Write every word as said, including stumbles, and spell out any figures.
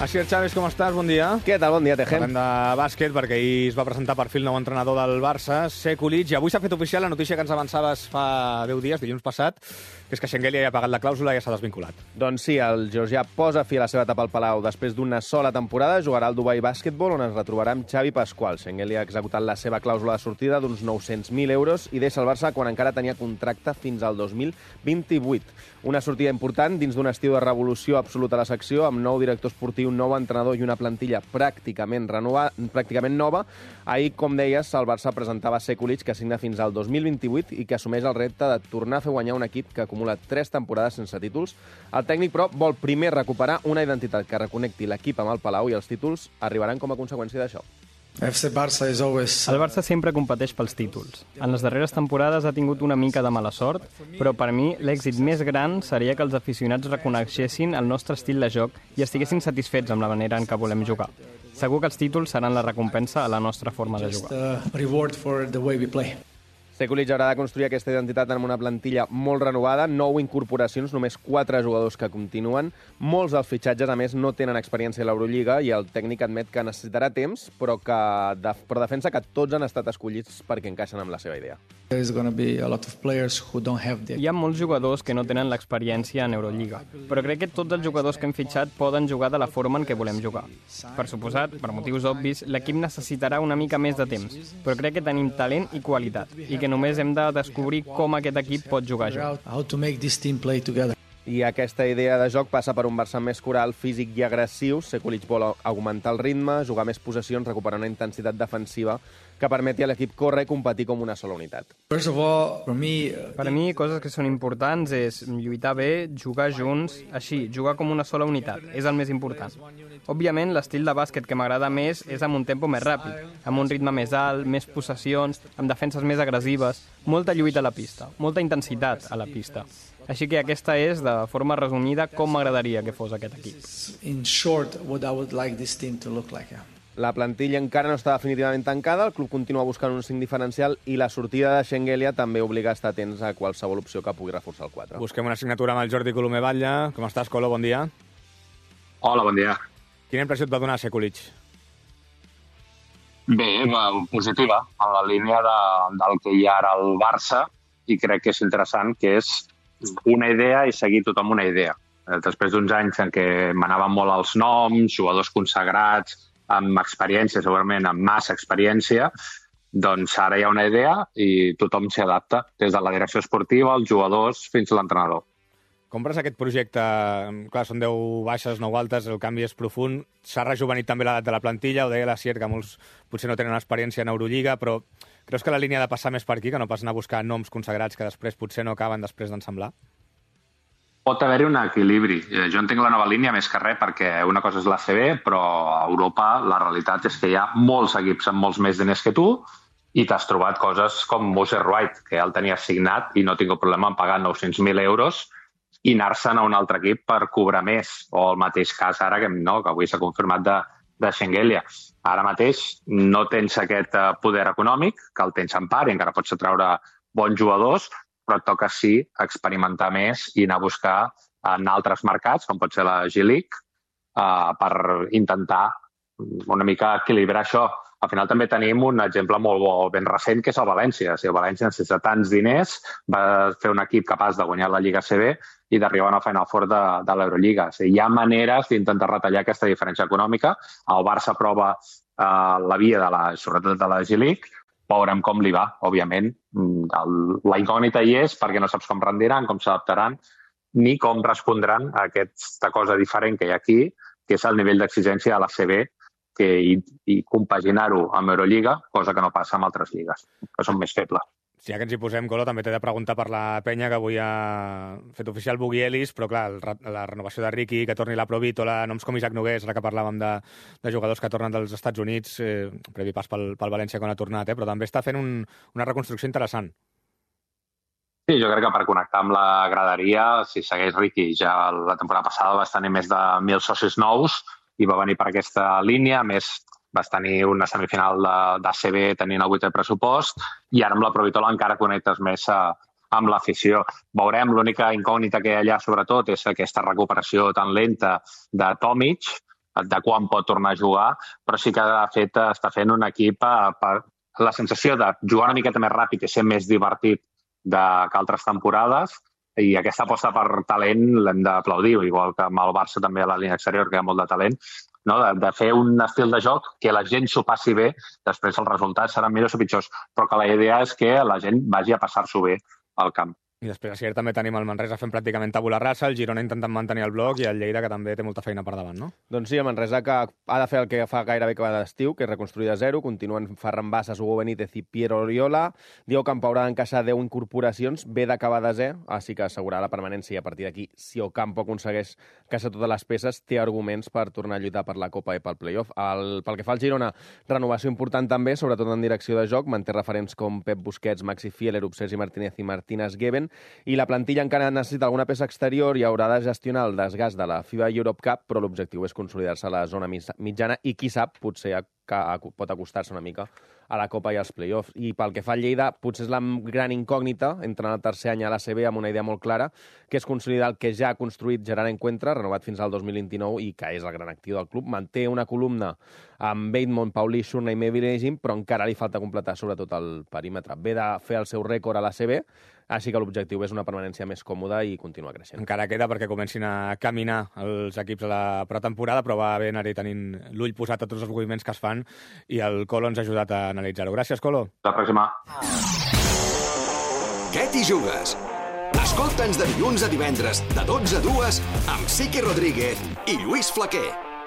Asier Chávez, com estàs? Bon dia. Què tal? Bon dia, Tejem. Parlem de bàsquet, perquè ahir es va presentar per fi el nou entrenador del Barça, Sekulic, i avui s'ha fet oficial la notícia que ens avançaves fa deu dies, dilluns passat, que és que Shengelia ja ha pagat la clàusula i ja s'ha desvinculat. Doncs sí, el georgià posa fi a la seva etapa al Palau. Després d'una sola temporada jugarà al Dubai Basketball, on es retrobarà amb Xavi Pasqual. Shengelia ha executat la seva clàusula de sortida d'uns nou-cents mil euros i deixa el Barça quan encara tenia contracte fins al dos mil vint-i-vuit. Una sortida important dins d'un estiu de revolució absoluta a la secció, amb nou director esportiu, nou entrenador i una plantilla pràcticament renova, pràcticament nova. Ahir, com deies, el Barça presentava Sekulic, que signa fins al dos mil vint-i-vuit i que assumeix el repte de tornar a fer guanyar un equip que acumula tres temporades sense títols. El tècnic, però, vol primer recuperar una identitat que reconnecti l'equip amb el Palau i els títols arribaran com a conseqüència d'això. El Barça sempre competeix pels títols. En les darreres temporades ha tingut una mica de mala sort, però per mi l'èxit més gran seria que els aficionats reconeixessin el nostre estil de joc i estiguessin satisfets amb la manera en què volem jugar. Segur que els títols seran la recompensa a la nostra forma de jugar. Sekulic haurà de construir aquesta identitat amb una plantilla molt renovada, nou incorporacions, només quatre jugadors que continuen. Molts dels fitxatges, a més, no tenen experiència a l'Eurolliga i el tècnic admet que necessitarà temps, però, que, però defensa que tots han estat escollits perquè encaixen amb la seva idea. Hi ha molts jugadors que no tenen l'experiència en Eurolliga, però crec que tots els jugadors que hem fitxat poden jugar de la forma en què volem jugar. Per suposat, per motius obvis, l'equip necessitarà una mica més de temps, però crec que tenim talent i qualitat, i que només hem de descobrir com aquest equip pot jugar a joc. I aquesta idea de joc passa per un Barça més coral, físic i agressiu. Sekulic vol augmentar el ritme, jugar més possessions, recuperar una intensitat defensiva que permeti a l'equip córrer i competir com una sola unitat. Per a mi, coses que són importants és lluitar bé, jugar junts, així, jugar com una sola unitat. És el més important. Òbviament, l'estil de bàsquet que m'agrada més és amb un tempo més ràpid, amb un ritme més alt, més possessions, amb defenses més agressives, molta lluita a la pista, molta intensitat a la pista. Així que aquesta és, de forma resumida, com m'agradaria que fos aquest equip. La plantilla encara no està definitivament tancada, el club continua buscant un cinc diferencial i la sortida de Shengelia també obliga a estar atents a qualsevol opció que pugui reforçar el quatre. Busquem una signatura amb el Jordi Colomer Batlle. Com estàs, Colo? Bon dia. Hola, bon dia. Quina impressió et va donar Sekulic? Bé, positiva, en la línia de, del que hi ha ara al Barça, i crec que és interessant, que és una idea i seguir tothom una idea. Després d'uns anys en què manaven molt els noms, jugadors consagrats, amb experiència, segurament amb massa experiència, doncs ara hi ha una idea i tothom s'hi adapta, des de la direcció esportiva, els jugadors, fins a l'entrenador. Compres aquest projecte? Clar, són deu baixes, nou altes, el canvi és profund. S'ha rejuvenit també l'edat de la plantilla, ho deia l'Asier, que molts potser no tenen experiència en Eurolliga, però creus que la línia ha de passar més per aquí, que no pas anar a buscar noms consagrats que després potser no acaben després d'ensemblar? Pot haver-hi un equilibri. Jo entenc la nova línia més que res perquè una cosa és l'A C B, però a Europa la realitat és que hi ha molts equips amb molts més diners que tu i t'has trobat coses com Moser White, que ja el tenies signat i no tinc problema en pagar nou-cents mil euros i anar-se'n a un altre equip per cobrar més. O el mateix cas ara, que, no, que avui s'ha confirmat de, de Shengelia. Ara mateix no tens aquest poder econòmic, que el tens en part i encara pots treure bons jugadors, però et toca sí experimentar més i anar a buscar en altres mercats, com pot ser la G-League, uh, per intentar una mica equilibrar això. Al final també tenim un exemple molt bo, ben recent, que és el València. O sigui, el València necessita tants diners, va fer un equip capaç de guanyar la Lliga A C B i d'arribar a una Final Four de, de l'Eurolliga. O sigui, hi ha maneres d'intentar retallar aquesta diferència econòmica. El Barça prova uh, la via, de la, sobretot de la G-League, veurem com li va, òbviament. El, la incògnita hi és perquè no saps com rendiran, com s'adaptaran, ni com respondran a aquesta cosa diferent que hi ha aquí, que és el nivell d'exigència de l'A C B, que, i, i compaginar-ho amb Eurolliga, cosa que no passa amb altres lligues, que són més febles. Ja que ens hi posem, Colo, també t'he de preguntar per la penya, que avui ha fet oficial Boogie Ellis, però clar, el, la renovació de Ricky, que torni la Provítola, noms com Isaac Nogués, ara que parlàvem de, de jugadors que tornen dels Estats Units, eh, previ pas pel, pel València quan ha tornat, eh, però també està fent un, una reconstrucció interessant. Sí, jo crec que per connectar amb la graderia, si segueix Ricky, ja la temporada passada vas tenir més de mil socis nous i va venir per aquesta línia, més vas tenir una semifinal d'A C B tenint el vuitè pressupost i ara amb la Provítola encara connectes més a, amb l'afició. Veurem, l'única incògnita que hi ha allà sobretot és aquesta recuperació tan lenta de Tomic de quan pot tornar a jugar, però sí que ha fet, està fent un equip per la sensació de jugar una miqueta més ràpid i ser més divertit de, que altres temporades, i aquesta aposta per talent l'hem d'aplaudir, igual que amb el Barça també a la línia exterior, que hi ha molt de talent, no? de, de fer un estil de joc que la gent s'ho passi bé, després els resultats seran millors o pitjors, però que la idea és que la gent vagi a passar-s'ho bé al camp. I després a Sierra també tenim el Manresa fent pràcticament tabula rasa, el Girona intentant mantenir el bloc i el Lleida que també té molta feina per davant, no? Doncs sí, el Manresa que ha de fer el que fa gairebé que va d'estiu, que és reconstruir de zero, continuen Ferran Bassas, Hugo Benítez i Piero Oriola. Diego Campo haurà d'encaixar deu incorporacions, ve d'acabar de zero, així que assegurar la permanència, i a partir d'aquí, si Ocampo aconsegueix encaixar totes les peces, té arguments per tornar a lluitar per la Copa i pel playoff. El, pel que fa al Girona, renovació important també, sobretot en direcció de joc, manté referents com Pep Busquets, Maxi Fieler, Sergi Martínez i Martínez Geben, i la plantilla encara necessita alguna peça exterior i haurà de gestionar el desgast de la FIBA Europe Cup, però l'objectiu és consolidar-se a la zona mitjana i, qui sap, potser pot acostar-se una mica a la Copa i als play-offs. I pel que fa al Lleida, potser és la gran incògnita, entrant al tercer any a l'A C B amb una idea molt clara, que és consolidar el que ja ha construït Gerard Encuentra, renovat fins al dos mil vint-i-nou i que és el gran actiu del club. Manté una columna amb Bateman, Paulí, Shurna i Meviregin, però encara li falta completar sobretot el perímetre. Ve de fer el seu rècord a l'A C B, així que l'objectiu és una permanència més còmoda i continuar creixent. Encara queda perquè comencin a caminar els equips a la pretemporada, però va bé anar-hi tenint l'ull posat a tots els moviments que es fan i el Colo ens ha ajudat a analitzar-ho. Gràcies, Colo. La pròxima. Què t'hi jugues? Escolta'ns de dilluns a divendres, de dotze a dues, amb Siqui Rodríguez i Lluís Flaquer.